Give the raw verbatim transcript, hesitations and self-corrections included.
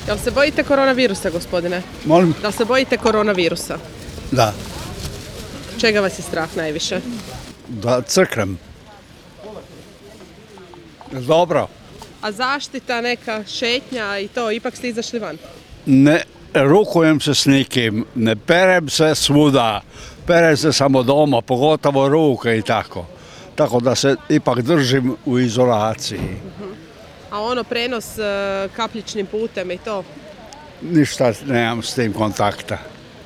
Jel se bojite koronavirusa, gospodine? Molim? Da se bojite koronavirusa? Da. Čega vas je strah najviše? Da crknem. Dobro. A zaštita, neka šetnja i to, ipak ste izašli van? Ne rukujem se s nikim, ne perem se svuda. Perem se samo doma, pogotovo ruke i tako. Tako da se ipak držim u izolaciji. A ono, prenos e, kapljičnim putem i to? Ništa nemam s tim kontakta.